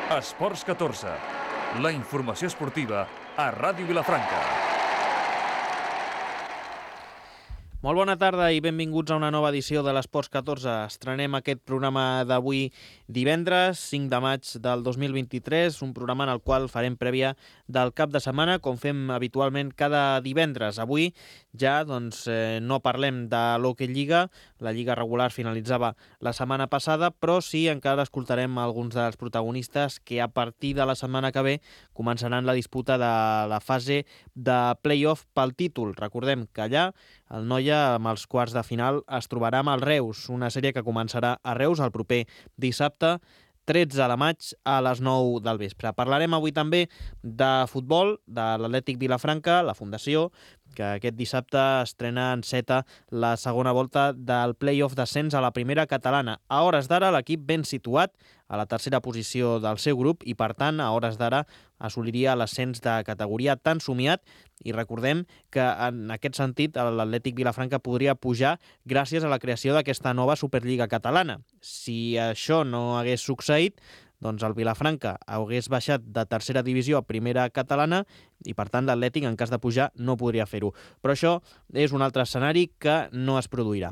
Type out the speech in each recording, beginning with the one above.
Esports 14, la informació esportiva a Ràdio Vilafranca. Molt bona tarda i benvinguts a una nova edició de l'Esports 14. Estrenem aquest programa d'avui divendres, 5 de maig del 2023, un programa en el qual farem prèvia del cap de setmana, com fem habitualment cada divendres. Avui ja no parlem de l'Hockey Lliga, la Lliga regular finalitzava la setmana passada, però sí encara escoltarem alguns dels protagonistes que a partir de la setmana que ve començaran la disputa de la fase de play-off pel títol. Recordem que allà el Noia, amb els quarts de final, es trobarà amb el Reus, una sèrie que començarà a Reus el proper dissabte, 13 de maig a les 9 del vespre. Parlarem avui també de futbol, de l'Atlètic Vilafranca, la Fundació, que aquest dissabte estrena en seta la segona volta del play-off d'ascens a la primera catalana. A hores d'ara, l'equip ben situat a la tercera posició del seu grup i, per tant, a hores d'ara assoliria l'ascens de categoria tan somiat, i recordem que en aquest sentit l'Atlètic Vilafranca podria pujar gràcies a la creació d'aquesta nova Superliga catalana. Si això no hagués succeït, doncs el Vilafranca hagués baixat de tercera divisió a primera catalana i, per tant, l'Atlètic, en cas de pujar, no podria fer-ho. Però això és un altre escenari que no es produirà.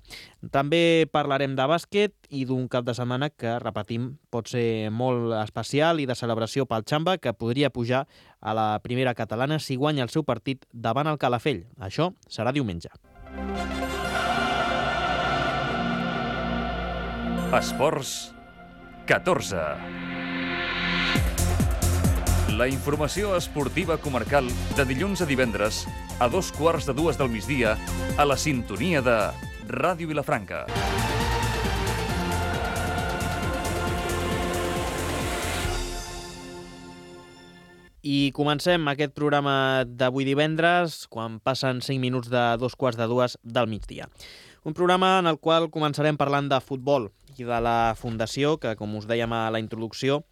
També parlarem de bàsquet i d'un cap de setmana que, repetim, pot ser molt especial i de celebració pel Xamba, que podria pujar a la primera catalana si guanya el seu partit davant el Calafell. Això serà diumenge. Esports 14. La informació esportiva comarcal de dilluns a divendres a 2:15 del migdia a la sintonia de Ràdio Vilafranca. I comencem aquest programa d'avui divendres quan passen 5 minuts de 2:15 del migdia. Un programa en el qual començarem parlant de futbol i de la Fundació, que, com us dèiem a la introducció,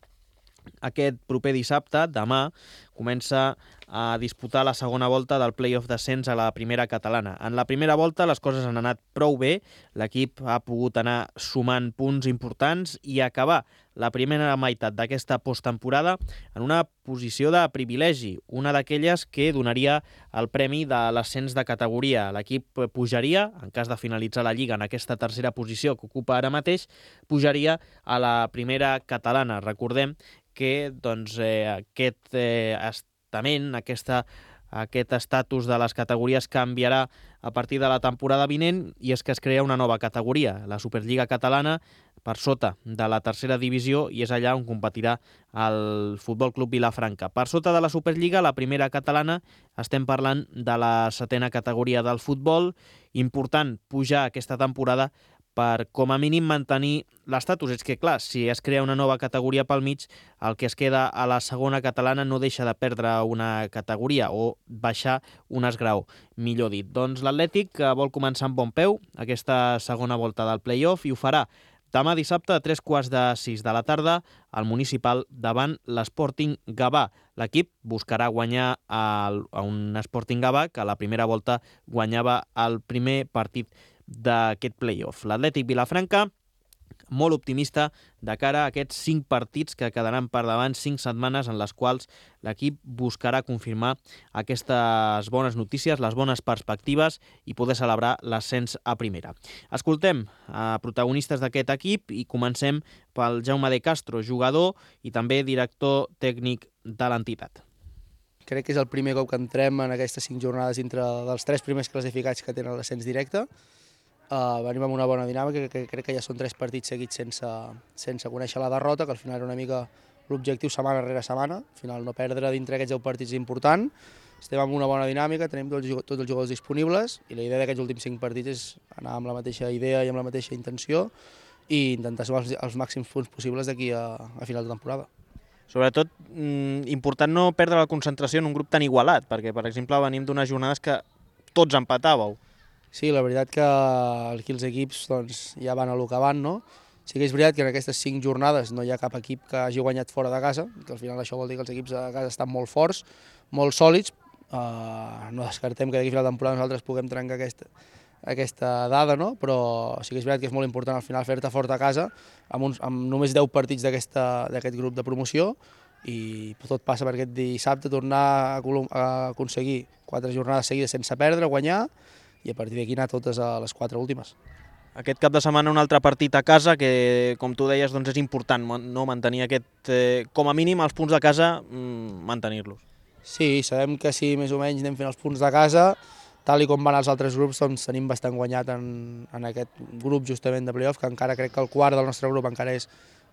aquest proper dissabte, demà, comença a disputar la segona volta del play-off d'ascens a la primera catalana. En la primera volta les coses han anat prou bé, l'equip ha pogut anar sumant punts importants i acabar la primera meitat d'aquesta posttemporada en una posició de privilegi, una d'aquelles que donaria el premi de l'ascens de categoria. L'equip pujaria, en cas de finalitzar la Lliga en aquesta tercera posició que ocupa ara mateix, pujaria a la primera catalana. Recordem que aquest estament, aquest estatus de les categories canviarà a partir de la temporada vinent, i és que es crea una nova categoria, la Superliga catalana, per sota de la tercera divisió, i és allà on competirà el Futbol Club Vilafranca. Per sota de la Superliga, la primera catalana, estem parlant de la setena categoria del futbol. Important pujar aquesta temporada per, com a mínim, mantenir l'estatus. És que, clar, si es crea una nova categoria pel mig, el que es queda a la segona catalana no deixa de perdre una categoria o baixar un esgrau, millor dit. Doncs l'Atlètic vol començar amb bon peu aquesta segona volta del play-off i ho farà demà dissabte a 3:15 de la tarda al Municipal davant l'Sporting Gavà. L'equip buscarà guanyar a un Sporting Gavà que a la primera volta guanyava el primer partit d'aquest play-off. L'Atlètic Vilafranca, molt optimista de cara a aquests 5 partits que quedaran per davant, 5 setmanes en les quals l'equip buscarà confirmar aquestes bones notícies, les bones perspectives i poder celebrar l'ascens a primera. Escoltem a protagonistes d'aquest equip i comencem pel Jaume de Castro, jugador i també director tècnic de l'entitat. Crec que és el primer cop que entrem en aquestes 5 jornades dintre dels 3 primers classificats que tenen l'ascens directe. Venim amb una bona dinàmica, que crec que ja són 3 partits seguits sense conèixer la derrota, que al final era una mica l'objectiu setmana rere setmana. Al final no perdre dintre aquests 10 partits és important. Estem amb una bona dinàmica, tenim tots els jugadors disponibles i la idea d'aquests últims 5 partits és anar amb la mateixa idea i amb la mateixa intenció i intentar sumar els màxims punts possibles d'aquí a final de temporada. Sobretot, important no perdre la concentració en un grup tan igualat, perquè, per exemple, venim d'unes jornades que tots empatàveu. Sí, la veritat que aquí els equips ja van a lo que van, no? Sí que és veritat que en aquestes 5 jornades no hi ha cap equip que hagi guanyat fora de casa, que al final això vol dir que els equips de casa estan molt forts, molt sòlids. No descartem que d'aquí a final de temporada nosaltres puguem trencar aquesta dada, no? Però sí que és veritat que és molt important al final fer-te fort a casa amb només 10 partits d'aquest grup de promoció, i tot passa per aquest dissabte tornar a aconseguir 4 jornades seguides sense perdre, guanyar, i a partir d'aquí anar totes a les 4 últimes. Aquest cap de setmana un altre partit a casa que, com tu deies, doncs és important no mantenir com a mínim els punts de casa, mantenir-los. Sí, sabem que si més o menys anem fent els punts de casa, tal i com van els altres grups, doncs tenim bastant guanyat en aquest grup justament de play-off, que encara crec que el quart del nostre grup encara és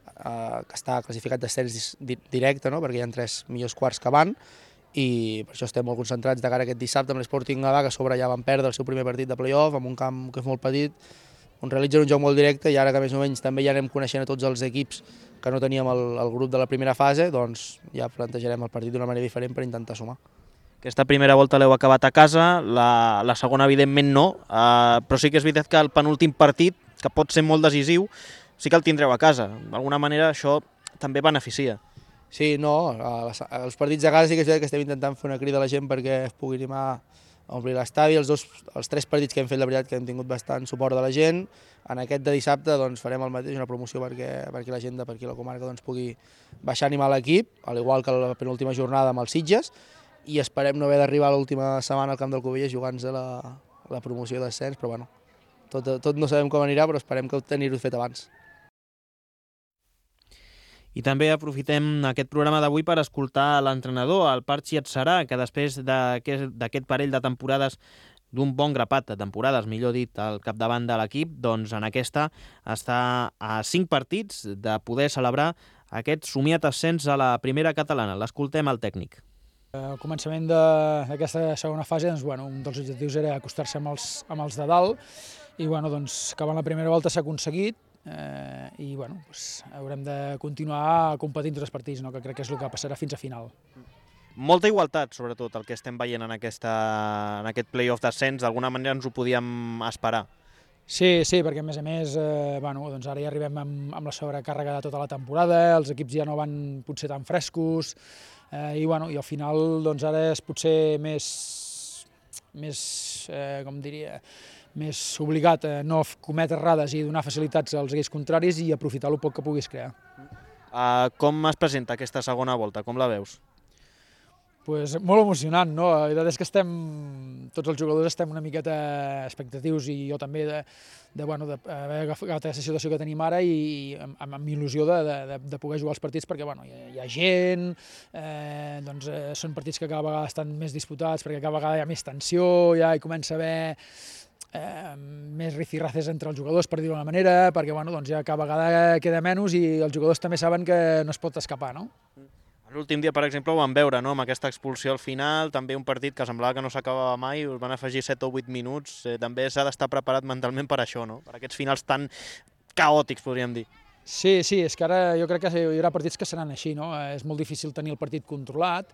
que està classificat d'ascens directe, no? Perquè hi ha 3 millors quarts que van, i per això estem molt concentrats de cara a aquest dissabte amb l'Sporting Gavà, que a sobre ja van perdre el seu primer partit de play-off, amb un camp que és molt petit, on realitzen un joc molt directe, i ara que més o menys també ja anem coneixent a tots els equips que no teníem el grup de la primera fase, doncs ja plantejarem el partit d'una manera diferent per intentar sumar. Aquesta primera volta l'heu acabat a casa, la segona evidentment no, però sí que és veritat que el penúltim partit, que pot ser molt decisiu, sí que el tindreu a casa. D'alguna manera això també beneficia. Sí, no, els partits a casa sí que és veritat que estem intentant fer una crida a la gent perquè es pugui animar a omplir l'estadi. Els 3 partits que hem fet, la veritat que hem tingut bastant suport de la gent. En aquest de dissabte doncs, farem el mateix, una promoció perquè la gent de per aquí a la comarca doncs, pugui baixar a animar l'equip, al igual que la penúltima jornada amb els Sitges, i esperem no haver d'arribar a l'última setmana al camp del Cubelles jugant-se la promoció d'ascens, però bueno, tot no sabem com anirà, però esperem que tenir-ho fet abans. I també aprofitem aquest programa d'avui per escoltar l'entrenador, el Parchi Atsarà, que després d'aquest parell de temporades, d'un bon grapat de temporades, millor dit, al capdavant de l'equip, doncs en aquesta està a 5 partits de poder celebrar aquest somiat ascens a la primera catalana. L'escoltem al tècnic. Al començament d'aquesta segona fase, doncs, un dels objectius era acostar-se amb els de dalt, i doncs, acabant la primera volta s'ha aconseguit, i haurem de continuar competint tots els partits, que crec que és el que passarà fins a final. Molta igualtat, sobretot, el que estem veient en aquest play-off d'ascens, d'alguna manera ens ho podíem esperar. Sí, perquè a més, doncs ara ja arribem amb la sobrecàrrega de tota la temporada, els equips ja no van potser tan frescos, i al final doncs ara és potser més obligat a no cometre errades i donar facilitats als equips contraris i aprofitar el poc que puguis crear. Com es presenta aquesta segona volta? Com la veus? Molt emocionant, no? La veritat és que tots els jugadors estem una miqueta expectatius, i jo també d'haver agafat aquesta situació que tenim ara i amb il·lusió de poder jugar els partits, perquè hi ha gent, són partits que cada vegada estan més disputats perquè cada vegada hi ha més tensió, ja hi comença a haver més rifirraces entre els jugadors, per dir-ho d'una manera, perquè ja cada vegada queda menys i els jugadors també saben que no es pot escapar, no? L'últim dia, per exemple, ho vam veure, no? Amb aquesta expulsió al final, també un partit que semblava que no s'acabava mai, us van afegir 7 o 8 minuts, també s'ha d'estar preparat mentalment per això, no? Per aquests finals tan caòtics, podríem dir. Sí, és que ara jo crec que hi haurà partits que seran així, no? És molt difícil tenir el partit controlat,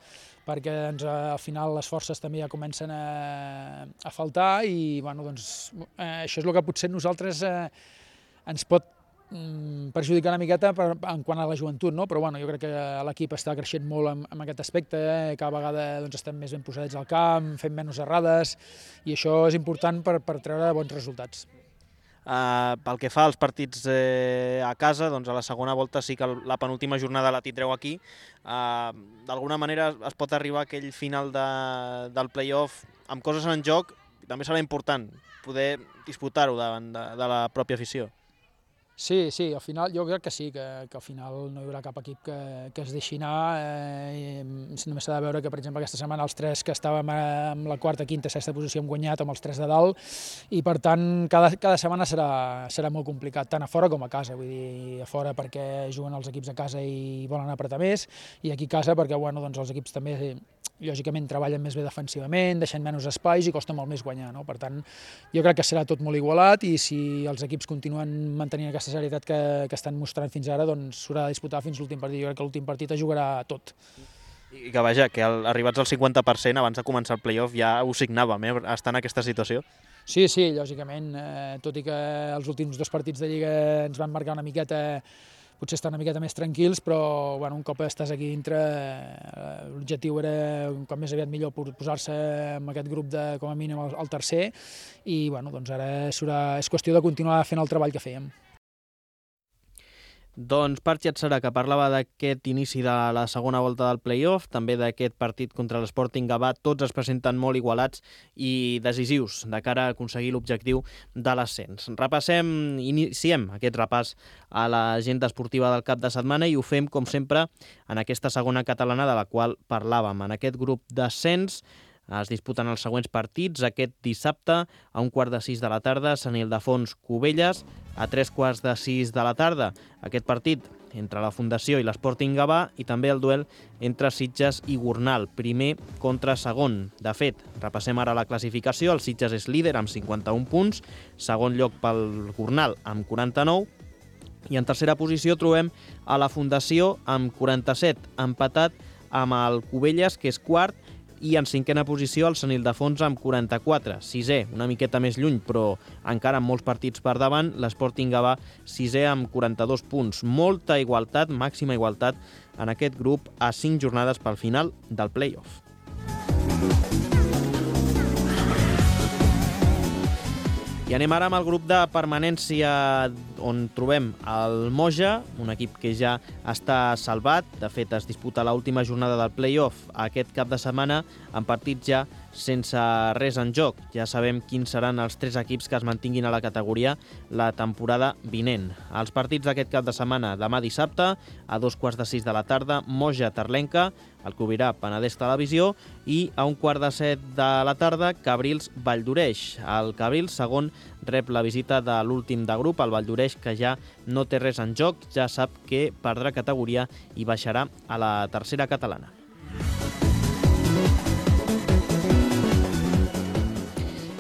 perquè al final les forces també ja comencen a faltar, i això és el que potser nosaltres ens pot perjudicar una miqueta en quant a la joventut, no? Però jo crec que l'equip està creixent molt en aquest aspecte, cada vegada estem més ben posadets al camp, fem menys errades, i això és important per treure bons resultats. Pel que fa als partits a casa, doncs a la segona volta sí que la penúltima jornada la tindreu aquí. D'alguna manera es pot arribar a aquell final del play-off amb coses en joc, i també serà important poder disputar-ho davant de la pròpia afició. Sí, al final jo crec que sí, que al final no hi haurà cap equip que es deixi anar. Només s'ha de veure que, per exemple, aquesta setmana els 3 que estàvem en la quarta, quinta, sexta posició hem guanyat amb els 3 de dalt, i per tant cada setmana serà molt complicat, tant a fora com a casa. Vull dir, a fora perquè juguen els equips a casa i volen apretar més, i aquí a casa perquè els equips també lògicament treballen més bé defensivament, deixen menys espais i costa molt més guanyar, no? Per tant, jo crec que serà tot molt igualat, i si els equips continuen mantenint aquesta serietat que estan mostrant fins ara, doncs s'haurà de disputar fins l'últim partit. Jo crec que l'últim partit es jugarà tot. I que vaja, que arribats al 50% abans de començar el play-off ja ho signàvem, estar en aquesta situació. Sí, lògicament, tot i que els últims 2 partits de Lliga ens van marcar una miqueta potser estar una miqueta més tranquils, però un cop estàs aquí dintre, l'objectiu era un cop més aviat millor posar-se en aquest grup com a mínim al tercer, i ara és qüestió de continuar fent el treball que fèiem. Doncs Patxi Adserà, que parlava d'aquest inici de la segona volta del play-off, també d'aquest partit contra l'Sporting Gavà, tots es presenten molt igualats i decisius de cara a aconseguir l'objectiu de l'ascens. Iniciem aquest repàs a l'agenda esportiva del cap de setmana i ho fem, com sempre, en aquesta segona catalana de la qual parlàvem. En aquest grup d'ascens es disputen els següents partits. Aquest dissabte, a 5:45 de la tarda, Sant Ildefons Cubelles, a 5:45 de la tarda. Aquest partit entre la Fundació i l'Sporting Gavà, i també el duel entre Sitges i Gornal, primer contra segon. De fet, repassem ara la classificació. El Sitges és líder amb 51 punts, segon lloc pel Gornal amb 49, i en tercera posició trobem a la Fundació amb 47, empatat amb el Cubelles, que és quart, i en cinquena posició el Sant Ildefons amb 44, sisè, una miqueta més lluny, però encara amb molts partits per davant, l'Sporting Gavà sisè amb 42 punts. Molta igualtat, màxima igualtat en aquest grup a 5 jornades pel final del play-off. I anem ara amb el grup de permanència, on trobem el Moja, un equip que ja està salvat. De fet, es disputa l'última jornada del play-off aquest cap de setmana, amb partits ja sense res en joc. Ja sabem quins seran els 3 equips que es mantinguin a la categoria la temporada vinent. Els partits d'aquest cap de setmana: demà dissabte, a 5:45 de la tarda, Moja-Terlenca, el Cubirà Penedès Televisió, i a 6:15 de la tarda, Cabrils-Valldoreix. El Cabrils, segon, rep la visita de l'últim de grup, el Valldoreix, que ja no té res en joc, ja sap que perdrà categoria i baixarà a la tercera catalana.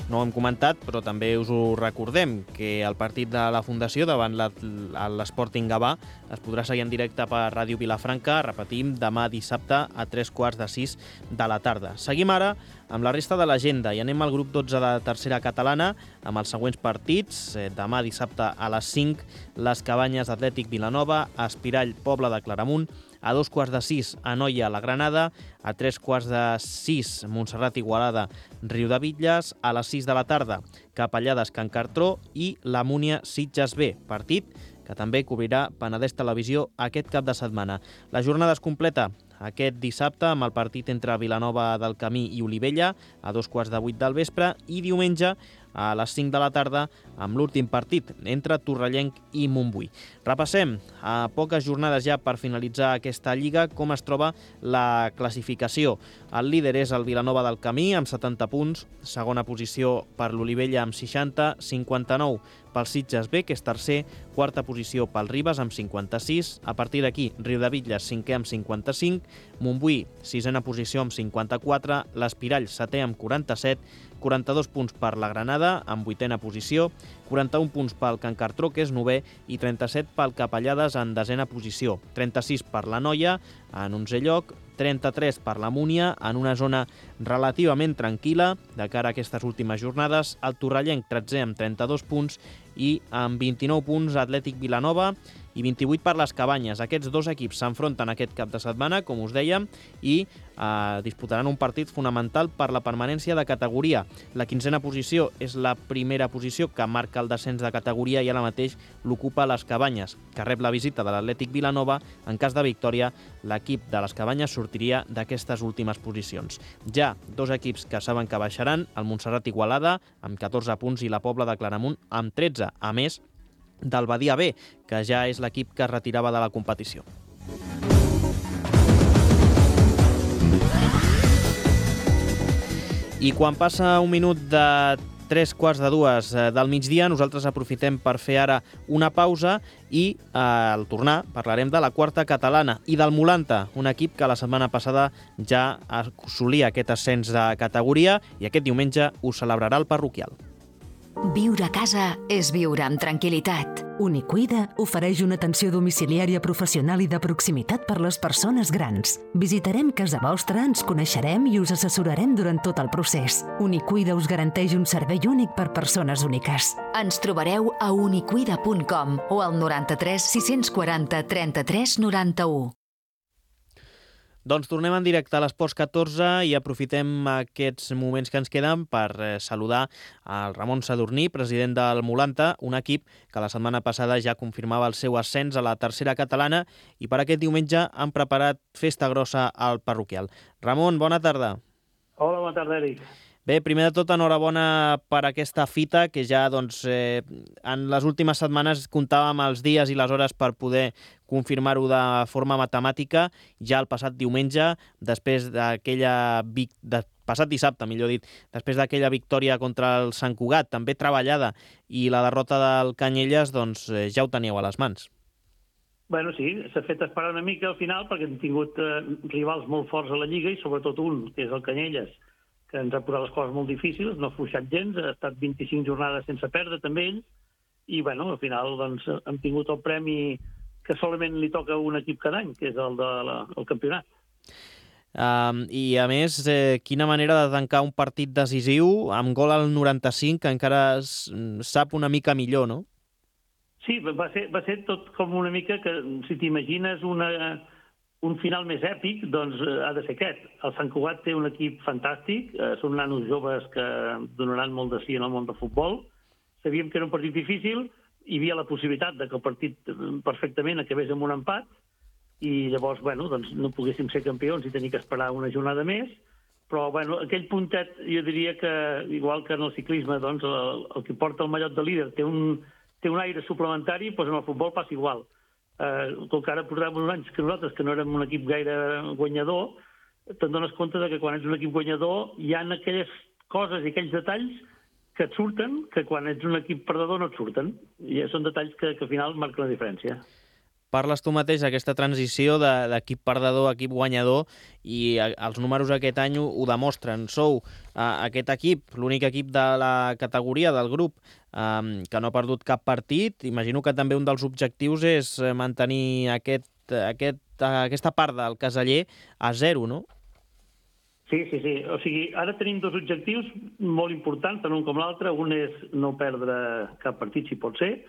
No ho hem comentat, però també us ho recordem, que el partit de la Fundació davant l'Sporting Gavà es podrà seguir en directe per Ràdio Vilafranca, repetim, demà dissabte a 5:45 de la tarda. Seguim ara amb la resta de l'agenda i anem al grup 12 de tercera catalana amb els següents partits. Demà dissabte a les 5, les Cabanyes Atlètic Vilanova, Espirall Pobla de Claramunt, a 5:15 Anoia la Granada, a 5:15 Montserrat Igualada Riudebitlles, a les 6 de la tarda Capellades Can Cartró i la Múnia Sitges B, partit que també cobrirà Penedès Televisió aquest cap de setmana. La jornada es completa aquest dissabte amb el partit entre Vilanova del Camí i Olivella a 7:15 del vespre, i diumenge a les 5 de la tarda amb l'últim partit entre Torrellenc i Montbui. Repassem a poques jornades ja per finalitzar aquesta lliga com es troba la classificació. El líder és el Vilanova del Camí amb 70 punts, segona posició per l'Olivella amb 60, 59 pel Sitges B, que és tercer, quarta posició pel Ribes amb 56, a partir d'aquí Riudebitlles cinquè amb 55, Montbui sisena posició amb 54, l'Espirall setè amb 47, 42 punts per la Granada amb vuitena posició, 41 punts pel Can Cartró, que és novè, i 37 pel Capellades en desena posició, 36 per la Noia en 11è lloc, 33 per la Múnia en una zona relativament tranquil·la de cara a aquestes últimes jornades, el Torrellenc 13è amb 32 punts i amb 29 punts Atlètic Vilanova i 28 per les Cabanyes. Aquests dos equips s'enfronten aquest cap de setmana, com us dèiem, i disputaran un partit fonamental per la permanència de categoria. La 15a posició és la primera posició que marca el descens de categoria i ara mateix l'ocupa les Cabanyes, que rep la visita de l'Atlètic Vilanova. En cas de victòria, l'equip de les Cabanyes sortiria d'aquestes últimes posicions. Ja dos equips que saben que baixaran, el Montserrat Igualada amb 14 punts i la Pobla de Claramunt amb 13, a més del Badia B, que ja és l'equip que es retirava de la competició. I quan passa un minut de 3:45 del migdia, nosaltres aprofitem per fer ara una pausa i al tornar parlarem de la quarta catalana i del Molanta, un equip que la setmana passada ja assolia aquest ascens de categoria i aquest diumenge ho celebrarà el parroquial. Viure a casa és viure amb tranquil·litat. Unicuida ofereix una atenció domiciliària professional i de proximitat per les persones grans. Visitarem casa vostra, ens coneixerem i us assessorarem durant tot el procés. Unicuida us garanteix un servei únic per persones úniques. Ens trobareu a unicuida.com o al 93 640 33 91. Doncs tornem en directe a l'Esports 14 i aprofitem aquests moments que ens queden per saludar al Ramon Sadurní, president del Molanta, un equip que la setmana passada ja confirmava el seu ascens a la tercera catalana i per aquest diumenge han preparat festa grossa al parroquial. Ramon, bona tarda. Hola, bona tarda, Eric. Bé, primer de tot, enhorabona per aquesta fita, que ja en les últimes setmanes comptàvem els dies i les hores per poder confirmar-ho de forma matemàtica. Ja el passat diumenge, passat dissabte, millor dit, després d'aquella victòria contra el Sant Cugat, també treballada, i la derrota del Canyelles, doncs ja ho teníeu a les mans. Bueno, sí, s'ha fet esperar una mica al final perquè hem tingut rivals molt forts a la Lliga i sobretot un, que és el Canyelles, que ens ha posat les coses molt difícils, no ha fluixat gens, ha estat 25 jornades sense perdre també ell, i bueno, al final doncs, hem tingut el premi que solament li toca a un equip cada any, que és el del campionat. I a més, quina manera de tancar un partit decisiu amb gol al 95, que encara sap una mica millor, no? Sí, va ser tot com una mica que, si t'imagines un final més èpic, doncs ha de ser aquest. El Sant Cugat té un equip fantàstic, són nanos joves que donaran molt de sí en el món del futbol. Sabíem que era un partit difícil, hi havia la possibilitat que el partit perfectament acabés amb un empat, i llavors, bueno, doncs no poguéssim ser campions i tenir que esperar una jornada més, però, bueno, aquell puntet, jo diria que, igual que en el ciclisme, doncs, el que porta el mallot de líder té un aire suplementari, doncs en el futbol passa igual. Com que ara portàvem uns anys que nosaltres, que no érem un equip gaire guanyador, te'n dones compte que quan ets un equip guanyador hi ha aquelles coses i aquells detalls que et surten, que quan ets un equip perdedor no et surten. I són detalls que al final marquen la diferència. Parles tu mateix d'aquesta transició d'equip perdedor a equip guanyador i els números aquest any ho demostren. Sou aquest equip, l'únic equip de la categoria, del grup, que no ha perdut cap partit. Imagino que també un dels objectius és mantenir aquesta part del caseller a 0, no? Sí. O sigui, ara tenim dos objectius molt importants, tant un com l'altre. Un és no perdre cap partit, si pot ser,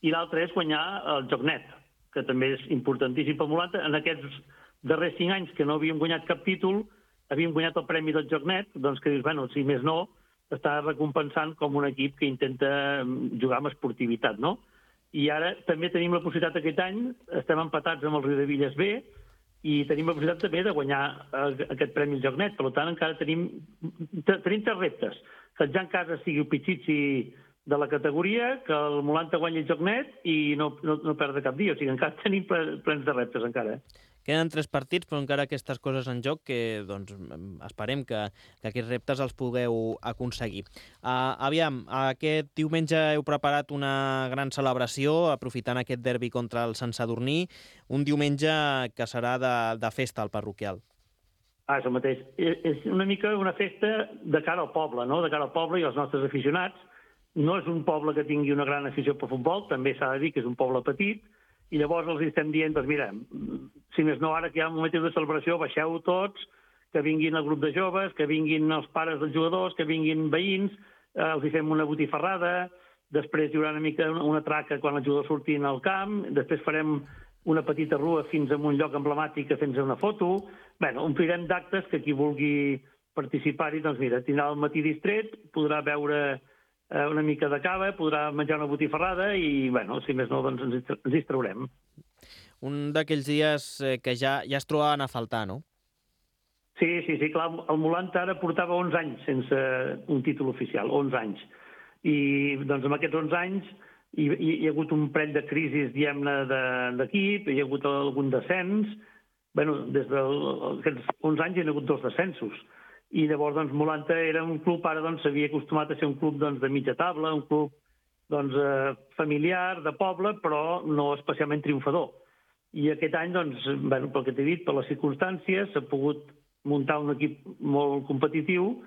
i l'altre és guanyar el joc net, que també és importantíssim pel Molanta. En aquests darrers 5 anys que no havíem guanyat cap títol, havíem guanyat el premi del joc net, doncs que dius, bueno, si més no, està recompensant com un equip que intenta jugar amb esportivitat, no? I ara també tenim la possibilitat aquest any, estem empatats amb el Riudevilles B, i tenim la possibilitat també de guanyar aquest premi del joc net. Per tant, encara tenim 3 reptes. Que el Jan Casa sigui el pitxitxi de la categoria, que el Molanta guanyi el joc net i no perdre cap dia. O sigui, encara tenim plens de reptes, encara. Queden 3 partits, però encara aquestes coses en joc que doncs, esperem que aquests reptes els pugueu aconseguir. Aviam, aquest diumenge heu preparat una gran celebració, aprofitant aquest derbi contra el Sant Sadurní, un diumenge que serà de festa al parroquial. És el mateix. És una mica una festa de cara al poble, no? De cara al poble i als nostres aficionats. No és un poble que tingui una gran afició pel futbol, també s'ha de dir que és un poble petit, i llavors els estem dient, doncs mira, si més no ara que hi ha un motiu de celebració, baixeu tots, que vinguin el grup de joves, que vinguin els pares dels jugadors, que vinguin veïns, els hi fem una botifarrada, després hi haurà una mica una traca quan els jugadors surtin al camp, després farem una petita rua fins a un lloc emblemàtic que fem una foto. Bé, omplirem d'actes que qui vulgui participar-hi, doncs mira, tindrà el matí distret, podrà veure una mica de cava, podrà menjar una botifarrada i, bueno, si més no, doncs ens hi traurem. Un d'aquells dies que ja es trobaven a faltar, no? Sí, clar, el Molanta ara portava 11 anys sense un títol oficial, 11 anys. I, doncs, en aquests 11 anys hi ha hagut un parell de crisis, diguem-ne, d'equip, hi ha hagut algun descens. Bé, des d'aquests 11 anys hi ha hagut 2 descensos. I llavors, doncs, Molanta era un club, ara doncs, s'havia acostumat a ser un club doncs, de mitja taula, un club doncs, familiar, de poble, però no especialment triomfador. I aquest any, doncs, pel que t'he dit, per les circumstàncies, s'ha pogut muntar un equip molt competitiu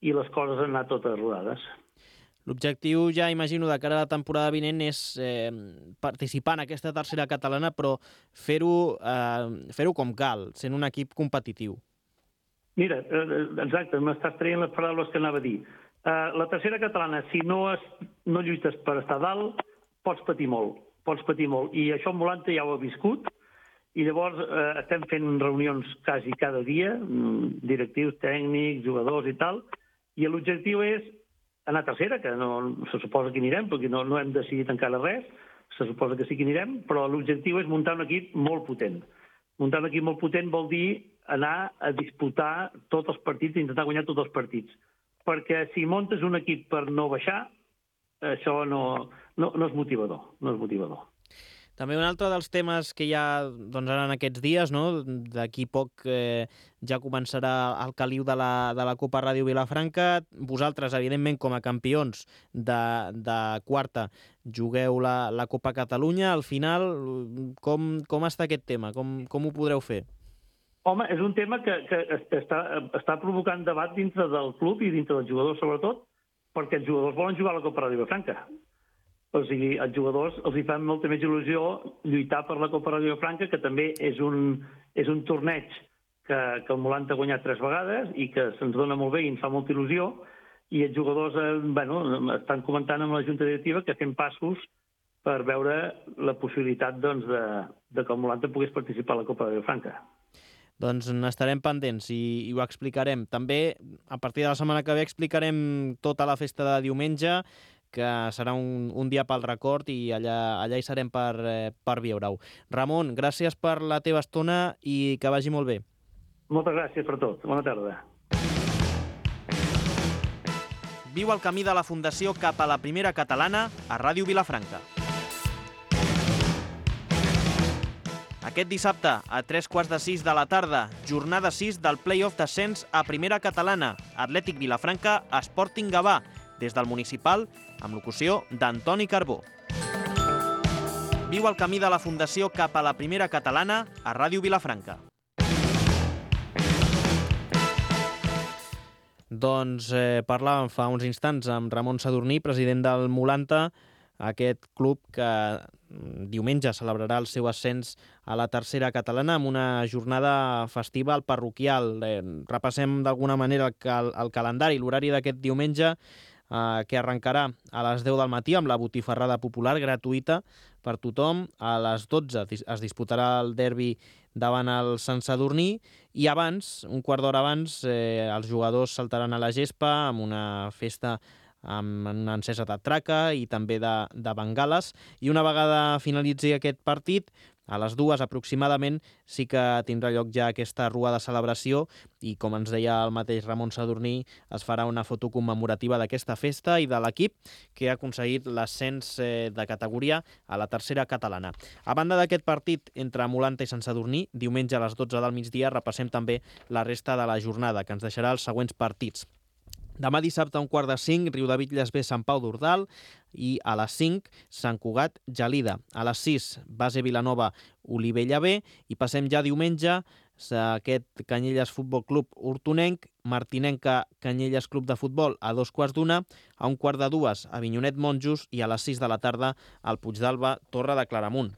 i les coses han anat totes rodades. L'objectiu, ja imagino, de cara a la temporada vinent és participar en aquesta tercera catalana, però fer-ho com cal, sent un equip competitiu. Mira, exacte, m'estàs traient les paraules que anava a dir. La tercera catalana, si no lluites per estar dalt, pots patir molt. I això en Volante ja ho ha viscut, i llavors estem fent reunions quasi cada dia, directius, tècnics, jugadors i tal, i l'objectiu és anar a tercera, que no se suposa que anirem, perquè no hem decidit encara res, se suposa que sí que anirem, però l'objectiu és muntar un equip molt potent. Muntar un equip molt potent vol dir anar a disputar tots els partits i intentar guanyar tots els partits. Perquè si muntes un equip per no baixar, això no és motivador. També un altre dels temes que hi ha ara en aquests dies, no? D'aquí poc ja començarà el caliu de la Copa Ràdio Vilafranca. Vosaltres, evidentment, com a campions de quarta, jugueu la Copa Catalunya. Al final, com està aquest tema? Com ho podreu fer? Home, és un tema que està provocant debat dintre del club i dintre dels jugadors, sobretot, perquè els jugadors volen jugar a la Copa Ràdio Vilafranca. O sigui, als jugadors els hi fa molta més il·lusió lluitar per la Copa Ràdio Vilafranca, que també és un torneig que el Volante ha guanyat 3 vegades i que se'ns dona molt bé i ens fa molta il·lusió, i els jugadors estan comentant amb la Junta Directiva que fem passos per veure la possibilitat de que el Volante pogués participar a la Copa Ràdio Vilafranca. Doncs n'estarem pendents i ho explicarem. També, a partir de la setmana que ve, explicarem tota la festa de diumenge, que serà un dia pel record, i allà hi serem per veure-ho. Ramon, gràcies per la teva estona i que vagi molt bé. Moltes gràcies per tot. Bona tarda. Viu el camí de la Fundació cap a la primera catalana a Ràdio Vilafranca. Aquest dissabte, a 5:45 de la tarda, jornada 6 del play-off d'ascens a primera catalana, Atlètic Vilafranca, Sporting Gavà, des del municipal, amb locució d'Antoni Carbó. Viu el camí de la Fundació cap a la primera catalana a Ràdio Vilafranca. Doncs parlàvem fa uns instants amb Ramon Sadurní, president del Volante, aquest club que diumenge celebrarà el seu ascens a la tercera catalana amb una jornada festiva al parroquial. Repassem d'alguna manera el calendari, l'horari d'aquest diumenge, que arrencarà a les 10 del matí amb la botifarrada popular gratuïta per tothom. A les 12 es disputarà el derbi davant el Sant Sadurní i abans, un quart d'hora abans, els jugadors saltaran a la gespa amb una festa amb una encesa de traca i també de bengales, i una vegada finalitzi aquest partit, a les 2 aproximadament, sí que tindrà lloc ja aquesta rua de celebració i, com ens deia el mateix Ramon Sadurní, es farà una foto commemorativa d'aquesta festa i de l'equip que ha aconseguit l'ascens de categoria a la tercera catalana. A banda d'aquest partit entre Volante i Sant Sadurní, diumenge a les 12 del migdia, repassem també la resta de la jornada, que ens deixarà els següents partits. Demà dissabte a 4:45, Riudebitlles B, Sant Pau d'Ordal, i a les 5, Sant Cugat, Gelida. A les 6, Base Vilanova, Olivella B, i passem ja diumenge a aquest Canyelles Futbol Club Hortonenc, Martinenca Canyelles Club de Futbol a 2:15, a 1:45 Avinyonet Monjos i a les 6 de la tarda al Puigdàlber Torre de Claramunt.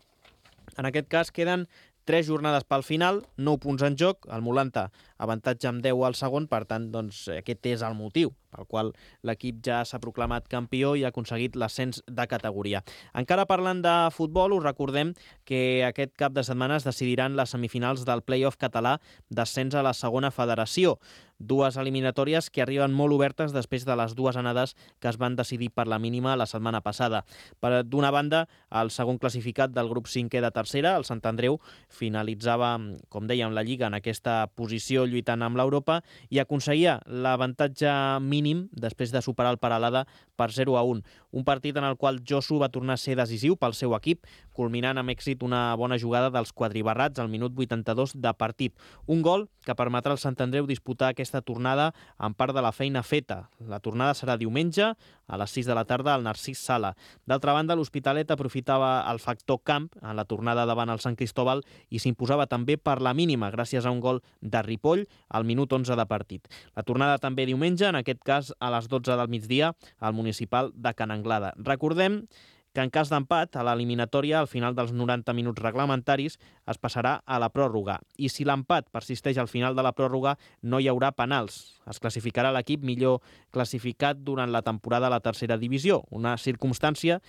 En aquest cas queden 3 jornades pel final, 9 punts en joc, el Volante avantatge amb 10 al segon, per tant, doncs, aquest és el motiu pel qual l'equip ja s'ha proclamat campió i ha aconseguit l'ascens de categoria. Encara parlant de futbol, us recordem que aquest cap de setmana es decidiran les semifinals del play-off català d'ascens a la segona federació. 2 eliminatòries que arriben molt obertes després de les 2 anades que es van decidir per la mínima la setmana passada. D'una banda, el segon classificat del grup 5è de tercera, el Sant Andreu, finalitzava, com dèiem, la Lliga en aquesta posició lluitant amb l'Europa i aconseguia l'avantatge mínim després de superar el Peralada per 0-1. Un partit en el qual Josu va tornar a ser decisiu pel seu equip, culminant amb èxit una bona jugada dels quadribarrats al minut 82 de partit. Un gol que permetrà al Sant Andreu disputar aquesta tornada amb part de la feina feta. La tornada serà diumenge a les 6 de la tarda al Narcís Sala. D'altra banda, l'Hospitalet aprofitava el factor camp en la tornada davant el Sant Cristóbal i s'imposava també per la mínima gràcies a un gol de Ripoll Ripoll al minut 11 de partit. La tornada també diumenge, en aquest cas a les 12 del migdia, al municipal de Can Anglada. Recordem que en cas d'empat, a l'eliminatòria, al final dels 90 minuts reglamentaris, es passarà a la pròrroga. I si l'empat persisteix al final de la pròrroga, no hi haurà penals. Es classificarà l'equip millor classificat durant la temporada a la tercera divisió, una circumstància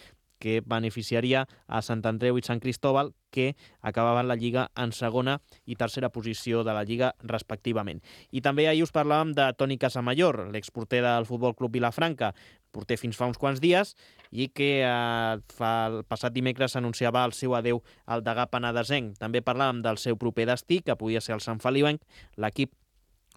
que beneficiaria a Sant Andreu i Sant Cristóbal, que acabaven la Lliga en segona i tercera posició de la Lliga, respectivament. I també ahir us parlàvem de Toni Casamayor, l'exporter del Futbol Club Vilafranca, porter fins fa uns quants dies, i que el passat dimecres anunciava el seu adeu al degà penedesenc. També parlàvem del seu proper destí, que podia ser el Sant Feliuenc. L'equip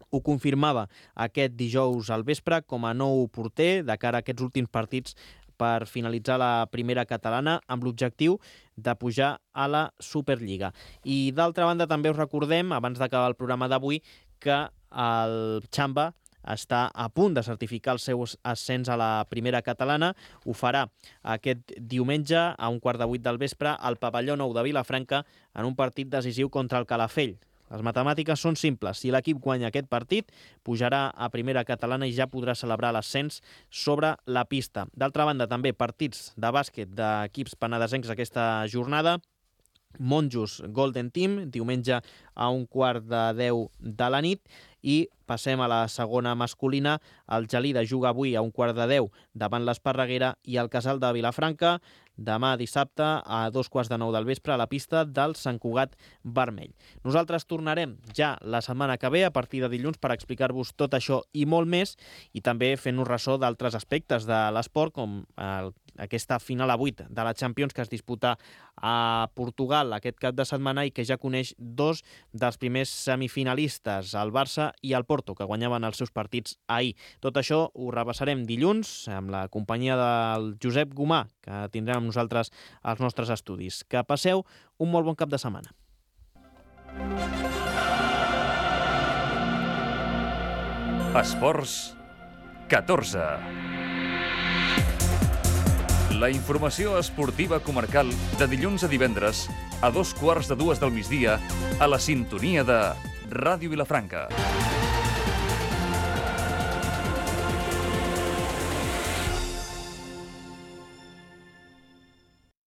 ho confirmava aquest dijous al vespre com a nou porter de cara a aquests últims partits per finalitzar la primera catalana amb l'objectiu de pujar a la Superliga. I d'altra banda també us recordem, abans d'acabar el programa d'avui, que el Xamba està a punt de certificar el seu ascens a la primera catalana. Ho farà aquest diumenge a 7:15 del vespre al pavelló nou de Vilafranca en un partit decisiu contra el Calafell. Les matemàtiques són simples. Si l'equip guanya aquest partit, pujarà a primera catalana i ja podrà celebrar l'ascens sobre la pista. D'altra banda, també partits de bàsquet d'equips penedesencs aquesta jornada. Monjos Golden Team, diumenge a 9:45 de la nit. I passem a la segona masculina. El Gelida juga avui a 9:15 davant l'Esparreguera i el Casal de Vilafranca demà dissabte a 9:15 del vespre a la pista del Sant Cugat Vermell. Nosaltres tornarem ja la setmana que ve, a partir de dilluns, per explicar-vos tot això i molt més, i també fent-nos ressò d'altres aspectes de l'esport, com aquesta final a 8 de la Champions que es disputa a Portugal aquest cap de setmana i que ja coneix dos dels primers semifinalistes, el Barça i el Porto, que guanyaven els seus partits ahir. Tot això ho repassarem dilluns amb la companyia del Josep Gomà, que tindrem amb nosaltres als nostres estudis. Que passeu un molt bon cap de setmana. Esports 14. La informació esportiva comarcal de dilluns a divendres a 2:15 del migdia a la sintonia de Ràdio Vilafranca.